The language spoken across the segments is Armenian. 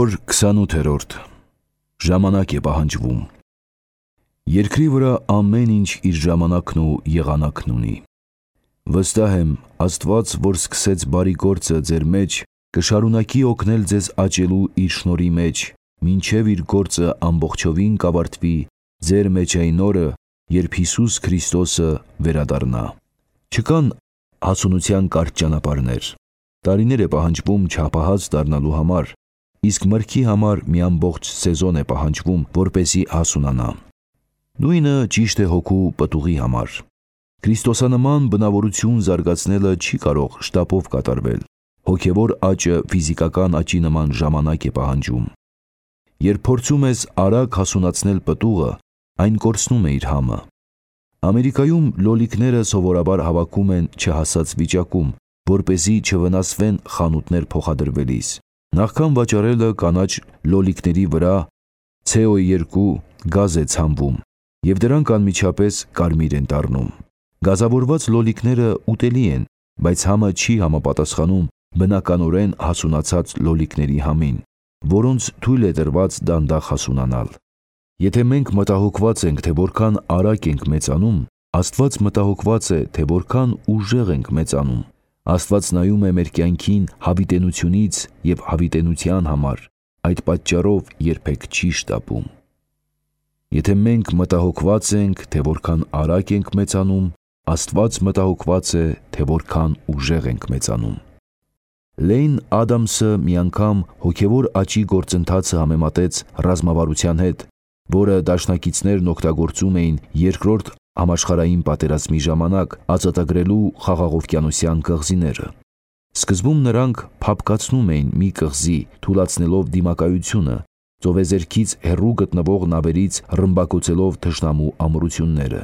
Հոգևոր 28-րդ ժամանակ է պահանջվում։ Երկրի վրա ամեն ինչ իր ժամանակն ու եղանակն ունի։ Վստահ եմ, Աստված, որ սկսեց բարի գործը ձեր մեջ, կշարունակի օգնել ձեզ աճելու իր շնորհի մեջ, մինչև իր գործը ամբողջովին կավարտվի ձեր մեջ այն օրը, երբ Հիսուս Քրիստոսը վերադառնա։ Չկան հասունության կարճ ճանապարհներ։ Տարիներ է պահանջվում չափահաս դառնալու համար, իսկ մրգի համար մի ամբողջ սեզոն է պահանջվում, որպեսզի հասունանա։ Նույնը ճիշտ է հոգու պտուղի համար։ Քրիստոսանման բնավորություն զարգացնելը չի կարող շտապով կատարվել։ Հոգևոր աճը ֆիզիկական աճի նման ժամանակ է պահանջում։ Երբ փորձում ես արագ հասունացնել պտուղը, այն կորցնում է իր համը։ Ամերիկայում լոլիկները սովորաբար հավաքում են չհասած վիճակում, որպեսզի չվնասվեն խանութներ փոխադրվելիս։ Նախքան վաճառելը կանաչ լոլիկների վրա CO2 գազ է ցանվում, և դրանք անմիջապես կարմիր են դառնում։ Գազավորված լոլիկները ուտելի են, բայց համը չի համապատասխանում բնականորեն հասունացած լոլիկների համին, որոնց թույլ է տրված դանդաղ հասունանալ։ Եթե մենք մտահոգված ենք, թե որքան արագ ենք մեծանում, Աստված մտահոգված է, թե որքան ուժեղ ենք մեծանում։ Աստված նայում է մեր կյանքին հավիտենությունից և հավիտենության համար, այդ պատճառով երբեք չի շտապում։ Եթե մենք մտահոգված ենք, թե որքան արագ ենք մեծանում, Աստված մտահոգված է, թե որքան ուժեղ ենք մեծանում։ Լեյն Ադամսը մի անգամ հոգևոր աճի գործընթացը համեմատեց ռազմավարության հետ, որը դաշնակիցներն օգտագործում էին երկրորդ համաշխարհային պատերազմի ժամանակ ազատագրելու խաղաղօվկիանոսյան կղզիները։ Սկզբում նրանք փափկացնում էին մի կղզի, թուլացնելով դիմակայությունը, ծովեզերքից հեռու գտնվող նավերից ռմբակոծելով թշնամու ամրությունները։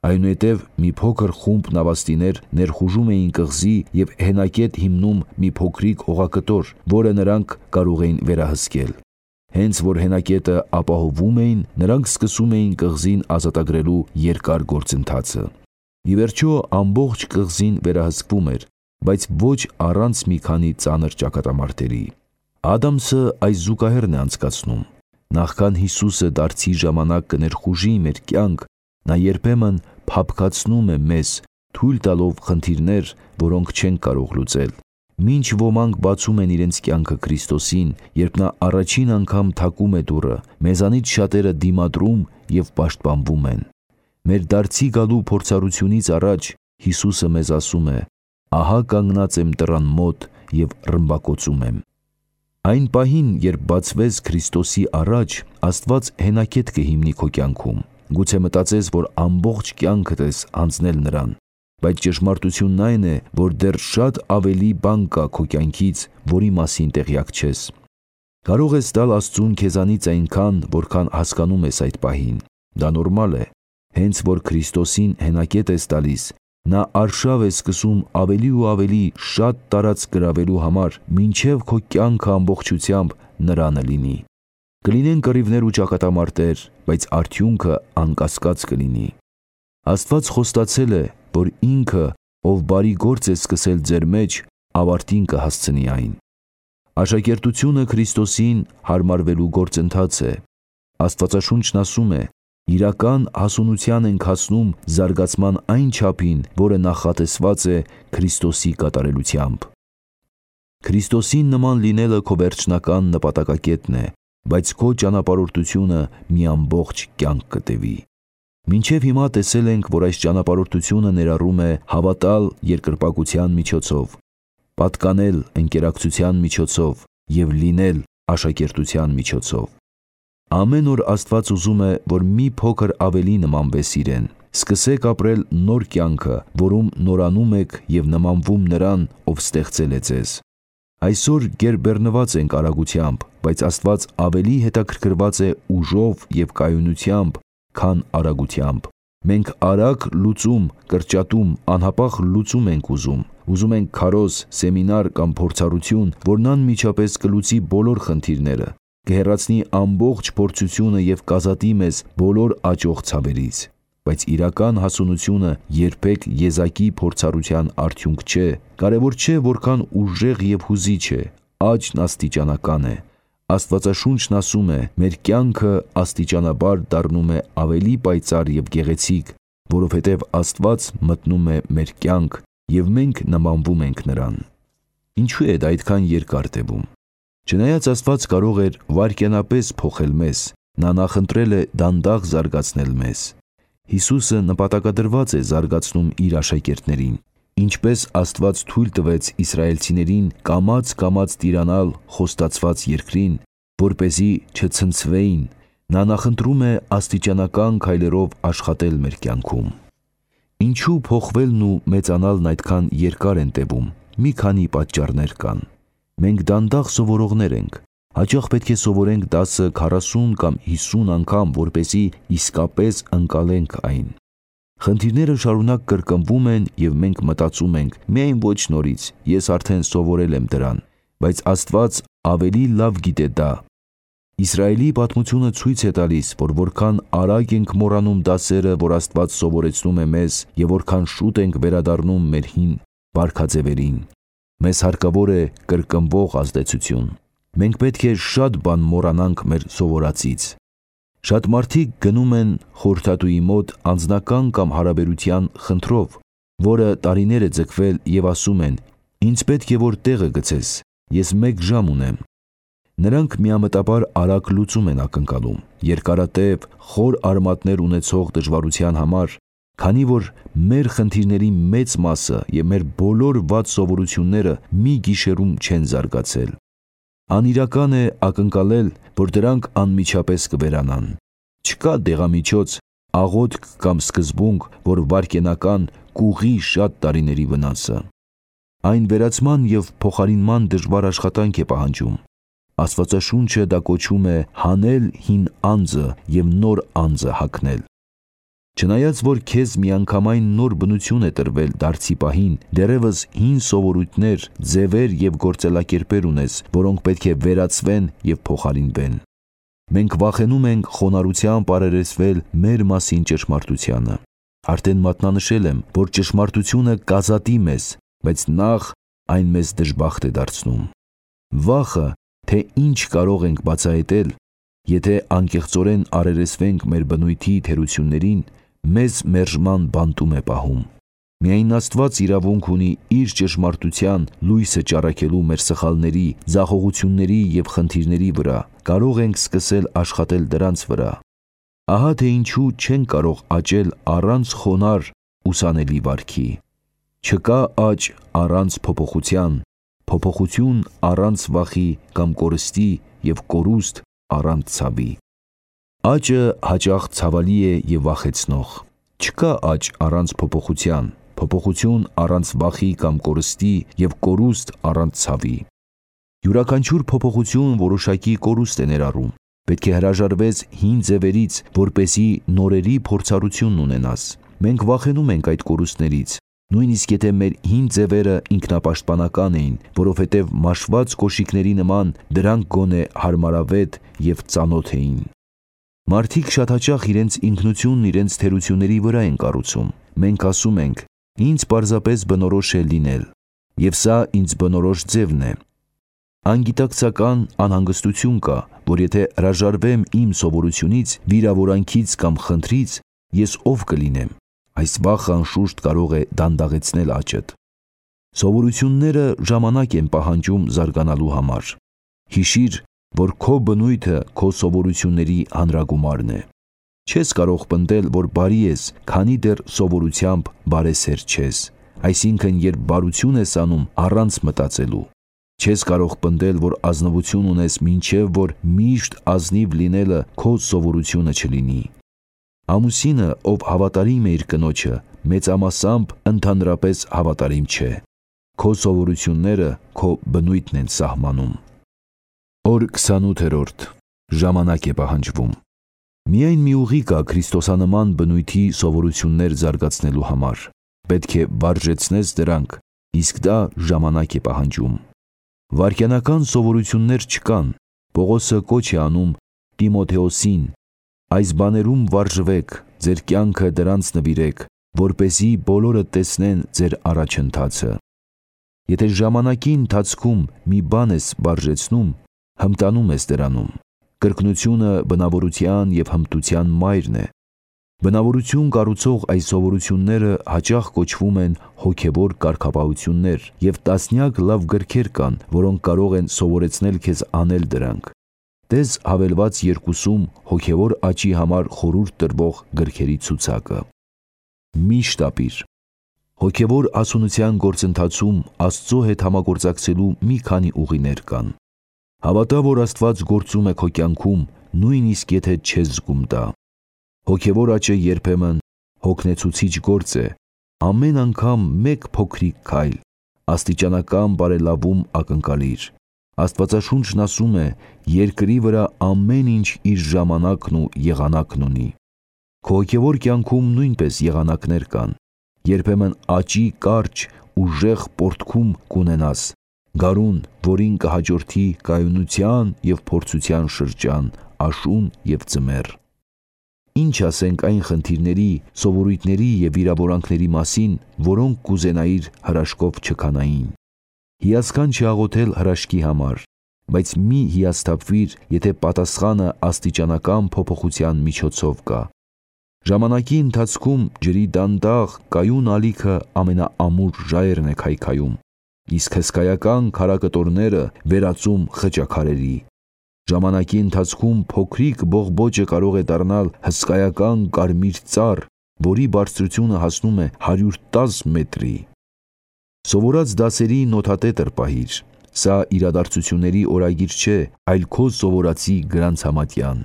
Այնուհետև մի փոքր խումբ նավաստիներ ներխուժում էին կղզի և հենակետ հիմնում մի փոքրիկ օղակտոր, որը նրանք կարող էին վերահսկել։ Հենց որ հենակետը ապահովում էին, նրանք սկսում էին կղզին ազատագրելու երկար գործընթացը։ Ի վերջո ամբողջ կղզին վերահսկվում էր, բայց ոչ առանց մի քանի ծանր ճակատամարտերի։ Ադամսը այս զուգահեռն է անցկացնում։ Նախքան Հիսուսը դարձի ժամանակ կներխուժի մեր կյանք, նա երբեմն փափկացնում է մեզ, թույլ տալով խնդիրներ, որոնք չենք կարող լուծել։ Մինչ ոմանք բացում են իրենց կյանքը Քրիստոսին, երբ նա առաջին անգամ թակում է դուռը, մեզանից շատերը դիմադրում և պաշտպանվում են։ Մեր դարձի գալու փորձառությունից առաջ Հիսուսը մեզ ասում է. «Ահա կանգնած եմ դռան մոտ և ռմբակոծում եմ»։ Այն պահին, երբ բացվես Քրիստոսի առաջ, Աստված հենակետ կհիմնի քո կյանքում։ Գուցե մտածես, որ ամբողջ կյանքդ ես անցնել նրան, բայց ճշմարտությունն այն է, որ դեռ շատ ավելի բան կա քո կյանքից, որի մասին տեղյակ չես։ Կարող ես տալ Աստծուն քեզանից այնքան, որքան հասկանում ես այդ պահին։ Դա նորմալ է։ Հենց որ Քրիստոսին հենակետ ես տալիս, նա արշավ է սկսում ավելի ու ավելի շատ տարածք գրավելու համար, մինչև քո կյանքը ամբողջությամբ նրանը լինի։ Կլինեն կռիվներ ու ճակատամարտեր, բայց արդյունքը անկասկած կլինի։ Աստված խոստացել է, որ ինքը, ով բարի գործ է սկսել ձեր մեջ, ավարտին կհասցնի այն։ Աշակերտությունը Քրիստոսին հարմարվելու գործընթաց է։ Աստվածաշունչն ասում է. «Իրական հասունության ենք հասնում զարգացման այն չափին, որը նախատեսված է Քրիստոսի կատարելությամբ»։ Քրիստոսին նման լինելը քո վերջնական նպատակակետն է, բայց քո ճանապարհորդությունը մի ամբողջ կյանք կտևի։ Մինչև հիմա տեսել ենք, որ այս ճանապարհորդությունը ներառում է հավատալ երկրպագության միջոցով, պատկանել ընկերակցության միջոցով և լինել աշակերտության միջոցով։ Ամեն օր Աստված ուզում է, որ մի փոքր ավելի նմանվես իրեն։ Սկսեք ապրել նոր կյանքը, որում նորանում եք և նմանվում նրան, ով ստեղծել է ձեզ։ Այսօր գերբեռնված ենք արագությամբ, բայց Աստված ավելի հետաքրքրված է ուժով և կայունությամբ, քան արագությամբ։ Մենք արագ լուծում, կրճատում, անհապաղ լուծում ենք ուզում։ Ուզում ենք քարոզ, սեմինար կամ փորձառություն, որն անմիջապես կլուծի բոլոր խնդիրները, կհեռացնի ամբողջ փորձությունը և կազատի մեզ բոլոր աճող ցավերից։ Բայց իրական հասունությունը երբեք եզակի փորձառության արդյունք չէ։ Կարևոր չէ որքան ուժեղ և հուզիչ է, աճն աստիճանական է։ Աստվածաշունչն ասում է, մեր կյանքը աստիճանաբար դառնում է ավելի պայծառ և գեղեցիկ, որովհետև Աստված մտնում է մեր կյանք և մենք նմանվում ենք նրան։ Ինչու է դա այդքան երկար տևում։ Չնայած Աստված կարող էր վայրկյանապես փոխել մեզ, նա նախընտրել է դանդաղ զարգացնել մեզ։ Հիսուսը նպատակադրված է զարգացնում իր աշակերտներին, ինչպես Աստված թույլ տվեց իսրայելցիներին կամաց տիրանալ խոստացված երկրին, որպեսզի չցնցվեին, նա նախընտրում է աստիճանական քայլերով աշխատել մեր կյանքում։ Ինչու փոխվելն ու մեծանալն այդքան երկար են տևում։ Մի քանի պատճառներ կան։ Մենք դանդաղ սովորողներ ենք։ Հաճախ պետք է սովորենք դասը 40 կամ 50 անգամ, որպեսզի իսկապես ընկալենք այն։ Խնդիրները շարունակ կրկնվում են և մենք մտածում ենք, միայն ոչ նորից, ես արդեն սովորել եմ դրան, բայց Աստված ավելի լավ գիտե դա։ Իսրայելի պատմությունը ցույց է տալիս, որ որքան արագ ենք մոռանում դասերը, որ Աստված սովորեցնում է մեզ, և որքան շուտ ենք վերադառնում մեր հին վարքաձևերին։ Մեզ հարկավոր է կրկնվող ազդեցություն։ Մենք պետք է շատ բան մոռանանք մեր սովորածից։ Շատ մարդիկ գնում են խորհրդատուի մոտ անձնական կամ հարաբերության խնդրով, որը տարիներ է ձգվել և ասում են. «Ինձ պետք է որ տեղը գցես, ես 1 ժամ ունեմ»։ Նրանք միամտաբար արագ լուծում են ակնկալում, երկարատև, խոր արմատներ ունեցող դժվարության համար, քանի որ մեր խնդիրների մեծ մասը և մեր բոլոր վատ սովորությունները մի գիշերում չեն զարգացել։ Անիրական է ակնկալել, որ դրանք անմիջապես կվերանան։ Չկա դեղամիջոց, աղոթք կամ սկզբունք, որ վայրկենական կուղղի շատ տարիների վնասը։ Այն վերացման և փոխարինման դժվար աշխատանք է պահանջում։ Աստվածաշունչը դա կոչում է հանել հին անձը և նոր անձը հագնել։ Չնայած որ քեզ միանգամայն նոր բնություն է տրվել դարձի պահին, դեռևս հին սովորույթներ, ձևեր և գործելակերպեր ունես, որոնք պետք է վերացվեն և փոխարինվեն։ Մենք վախենում ենք խոնարհությամբ առերեսվել մեր մասին ճշմարտությանը։ Արդեն մատնանշել եմ, որ ճշմարտությունը կազատի մեզ, բայց նախ այն մեզ դժբախտ է դարձնում։ Վախը, թե ինչ կարող ենք բացահայտել, եթե անկեղծորեն առերեսվենք մեր բնույթի թերություններին, մեզ մերժման բանտում է պահում։ Միայն Աստված իրավունք ունի իր ճշմարտության լույսը ճառագելու մեր սխալների, ձախողությունների և խնդիրների վրա, կարող ենք սկսել աշխատել դրանց վրա։ Ահա թե ինչու չենք կարող աճել առանց խոնարհ, ուսանելի վարքի։ Չկա աճ առանց փոփոխության, փոփոխություն առանց վախի կամ կորստի և կորուստ առանց ցավի։ Աճը հաճախ ցավալի է և վախեցնող։ Չկա աճ առանց փոփոխության, փոփոխություն առանց վախի կամ կորստի և կորուստ առանց ցավի։ Յուրաքանչյուր փոփոխություն որոշակի կորուստ է ներառում։ Պետք է հրաժարվես հին ձևերից, որպեսզի նորերի փորձառություն ունենաս։ Մենք վախենում ենք այդ կորուստներից, նույնիսկ եթե մեր հին ձևերը ինքնապաշտպանական էին, որովհետև մաշված կոշիկների նման դրանք գոնե հարմարավետ և ծանոթ էին։ Մարդիկ շատ հաճախ իրենց ինքնությունն իրենց թերությունների վրա են կառուցում։ Մենք ասում ենք. «Ինձ պարզապես բնորոշ է լինել, և սա ինձ բնորոշ ձևն է»։ Անգիտակցական անհանգստություն կա, որ եթե հրաժարվեմ իմ սովորությունից, վիրավորանքից կամ խնդրից, ես ով կլինեմ։ Այս վախը անշուշտ կարող է դանդաղեցնել աճդ։ Սովորությունները ժամանակ են պահանջում զարգանալու համար։ Հիշիր, որ քո բնույթը քո սովորությունների հանրագումարն է։ Չես կարող պնդել, որ բարի ես, քանի դեռ սովորությամբ բարեսեր չես, այսինքն երբ բարություն ես անում առանց մտածելու։ Չես կարող պնդել, որ ազնվություն ունես, մինչև որ միշտ ազնիվ լինելը քո սովորությունը չլինի։ Ամուսինը, ով հավատարիմ է իր կնոջը, մեծամասամբ ընդհանրապես հավատարիմ չէ։ Քո սովորությունները քո բնույթն են սահմանում։ Օր 28. Ժամանակ է պահանջվում։ Միայն մի ուղի կա քրիստոսանման բնույթի սովորություններ զարգացնելու համար։ Պետք է վարժեցնես դրանք, իսկ դա ժամանակ է պահանջում։ Վայրկյանական սովորություններ չկան։ Պողոսը կոչ է անում Տիմոթեոսին. «Այս բաներում վարժվեք, ձեր կյանքը դրանց նվիրեք, որպեսզի բոլորը տեսնեն ձեր առաջընթացը»։ Եթե ժամանակի ընթացքում մի բան ես վարժեցնում, հմտանում ես դրանում։ Կրկնությունը բնավորության և հմտության մայրն է։ Բնավորություն կառուցող այս սովորությունները հաճախ կոչվում են հոգևոր կարգապահություններ, և տասնյակ լավ գրքեր կան, որոնք կարող են սովորեցնել քեզ անել դրանք։ Տես հավելված 2-ում հոգևոր աճի համար խորհուրդ տրվող գրքերի ցուցակը։ Մի շտապիր։ Հոգևոր հասունության գործընթացում Աստծո հետ համագործակցելու մի քանի ուղիներ կան։ Հավատա, որ Աստված գործում է քո կյանքում, նույնիսկ եթե չես զգում դա։ Հոգևոր աճը երբեմն հոգնեցուցիչ գործ է, ամեն անգամ մեկ փոքրիկ քայլ, աստիճանական բարելավում ակնկալիր։ Աստվածաշունչն ասում է. երկրի վրա ամեն ինչ իր ժամանակն ու եղանակն ունի։ Քո հոգևոր կյանքում նույնպես եղանակներ կան։ Երբեմն աճի կարճ, ուժեղ պոռթկում կունենաս, գարուն, որին կհաջորդի կայունության և փորձության շրջան, աշուն և ձմեռ։ Ինչ ասենք այն խնդիրների, սովորույթների և վիրավորանքների մասին, որոնք կուզենայիր հրաշքով չքանային։ Հիասքանչ է աղոթել հրաշքի համար, բայց մի հիասթափվիր, եթե պատասխանը աստիճանական փոփոխության միջոցով կա։ Ժամանակի ընթացքում ջրի դանդաղ, կայուն ալիքը ամենաամուր ժայռն է քայքայում, իսկ հսկայական քարակտորները վերածում խճաքարերի։ Ժամանակի ընթացքում փոքրիկ բողբոջը կարող է դառնալ հսկայական կարմիր ծառ, որի բարձրությունը հասնում է 110 մետրի։ Սովորած դասերի նոթատետր պահիր։ Սա իրադարձությունների օրագիր չէ, այլ քո սովորածի գրանցամատյան։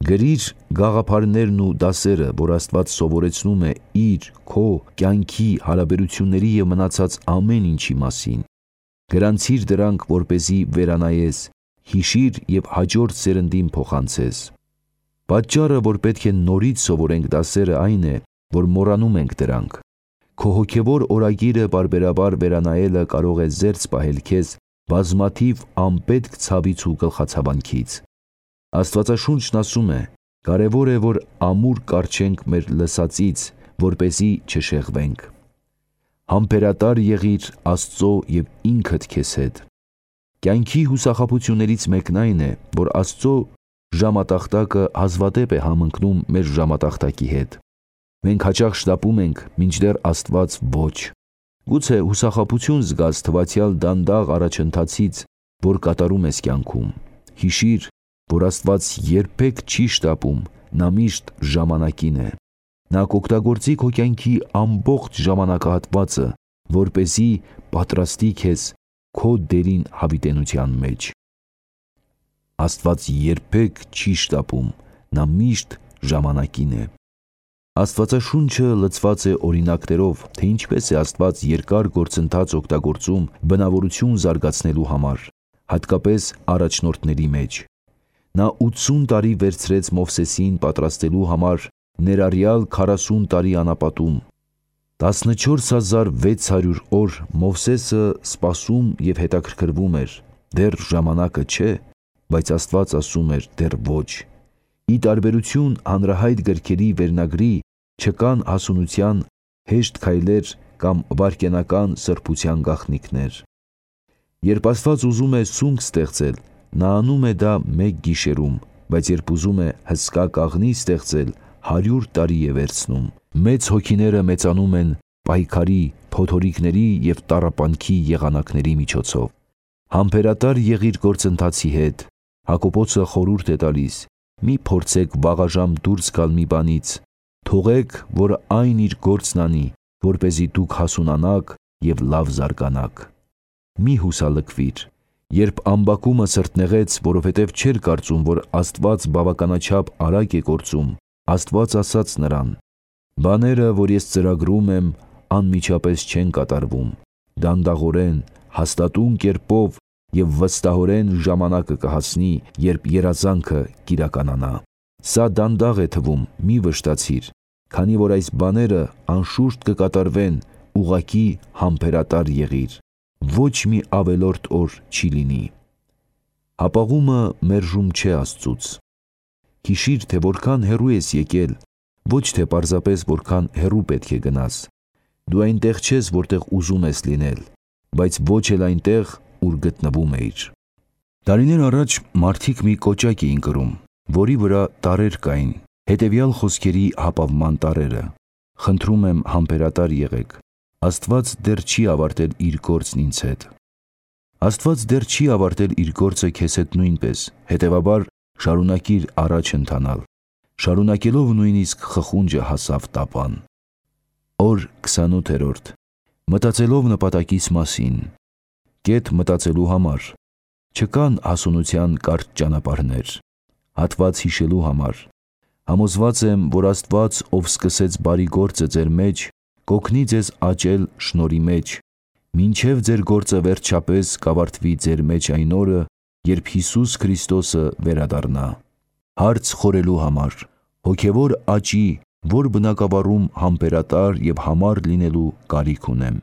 Գրիր գաղափարներն ու դասերը, որ Աստված սովորեցնում է իր, քո կյանքի, հարաբերությունների և մնացած ամեն ինչի մասին։ Գրանցիր դրանք, որպեսզի վերանայես, հիշիր և հաջորդ սերնդին փոխանցես։ Պատճառը, որ պետք է նորից սովորենք դասերը, այն է, որ մոռանում ենք դրանք։ Քո հոգևոր օրագիրը պարբերաբար վերանայելը կարող է զերծ պահել քեզ բազմաթիվ անպետք ցավից ու գլխացավանքից։ Աստվածաշունչն ասում է. կարևոր է, որ ամուր կառչենք մեր լսածից, որպեսզի չշեղվենք։ Համբերատար եղիր Աստծո և ինքդ քեզ հետ։ Կյանքի հուսախաբություններից մեկն այն է, որ Աստծո ժամատախտակը հազվադեպ է համընկնում մեր ժամատախտակի հետ։ Մենք հաճախ շտապում ենք, մինչդեռ Աստված ոչ։ Գուցե հուսախաբություն զգաս թվացյալ դանդաղ առաջընթացից, որ կատարում ես կյանքում։ Հիշիր, որ Աստված երբեք չի շտապում, նա միշտ ժամանակին է։ Նա կօգտագործի քո կյանքի ամբողջ ժամանակահատվածը, որպեսզի պատրաստի քեզ քո դերին հավիտենության մեջ։ Աստված երբեք չի շտապում, նա միշտ ժամանակին է։ Աստվածաշունչը լցված է օրինակներով, թե ինչպես է Աստված երկար գործընթաց օգտագործում բնավորություն զարգացնելու համար, հատկապես առաջնորդների մեջ։ Նա 80 տարի վերցրեց Մովսեսին պատրաստելու համար ներառյալ 40 տարի անապատում։ 14600 օր Մովսեսը սպասում և հետաքրքրվում էր, դեռ ժամանակը չէ, բայց Աստված ասում էր դեռ ոչ։ Ի տարբերություն հանրահայտ գրքերի վերնագրի, չկան հասունության հեշտ քայլեր կամ վայրկենական սրբության գաղտնիքներ։ Երբ Աստված ուզում է սունկ ստեղծել, նա անում է դա մեկ գիշերում, բայց երբ ուզում է հսկա կաղնի ստեղծել, 100 տարի է վերցնում։ Մեծ հոգիները մեծանում են պայքարի, փոթորիկների և տառապանքի եղանակների միջոցով։ Համբերատար եղիր գործընթացի հետ։ Հակոբոսը խորհուրդ է տալիս. մի փորձեք վաղաժամ դուրս գալ մի բանից, թողեք, որ այն իր գործն անի, որպեսզի դուք հասունանաք և լավ զարգանաք։ Մի հուսալքվիր։ Երբ ամբակումը սրտնեղեց, որովհետև չէր կարծում, որ Աստված բավականաչափ արագ է գործում, Աստված ասաց նրան. բաները, որ ես ծրագրում եմ, անմիջապես չեն կատարվում, դանդաղորեն, հաստատուն կերպով և վստահորեն ժամանակը կհասնի, երբ երազանքը կիրականանա։ Սա դանդաղ է թվում, մի վշտացիր, քանի որ այս բաները անշուշտ կկատարվեն, ուղղակի համբերատար եղիր, ոչ մի ավելորդ օր չի լինի։ Հապաղումը մերժում չէ Աստծուց։ Հիշիր, թե որքան հեռու ես եկել, ոչ թե պարզապես որքան հեռու պետք է գնաս։ Դու այնտեղ չես, որտեղ ուզում ես լինել, բայց ոչ էլ այնտեղ, ուր գտնվում էիր։ Տարիներ առաջ մարդիկ մի կոճակ էին կրում, որի վրա տարրեր կային, հետևյալ խոսքերի հապավման տարրերը. «Խնդրում եմ համբերատար եղեք, Աստված դեռ չի ավարտել իր գործն ինձ հետ»։ Աստված դեռ չի ավարտել իր գործը քեզ հետ նույնպես, հետևաբար շարունակիր առաջ ընթանալ։ Շարունակելով նույնիսկ խխունջը հասավ տապան։ Օր 28. Մտածելով նպատակիս մասին։ Կետ մտածելու համար։ Չկան հասունության կարճ ճանապարհներ։ Հատված հիշելու համար։ Համոզված եմ, որ Աստված, ով սկսեց բարի գործը ձեր մեջ, կօգնի ձեզ աճել շնորհի մեջ, մինչև ձեր գործը վերջապես կավարտվի ձեր մեջ այն օրը, երբ Հիսուս Քրիստոսը վերադառնա։ Հարց խորելու համար։ Հոգևոր աճի, որ բնագավառում համբերատար և համառ լինելու կարիք ունեմ։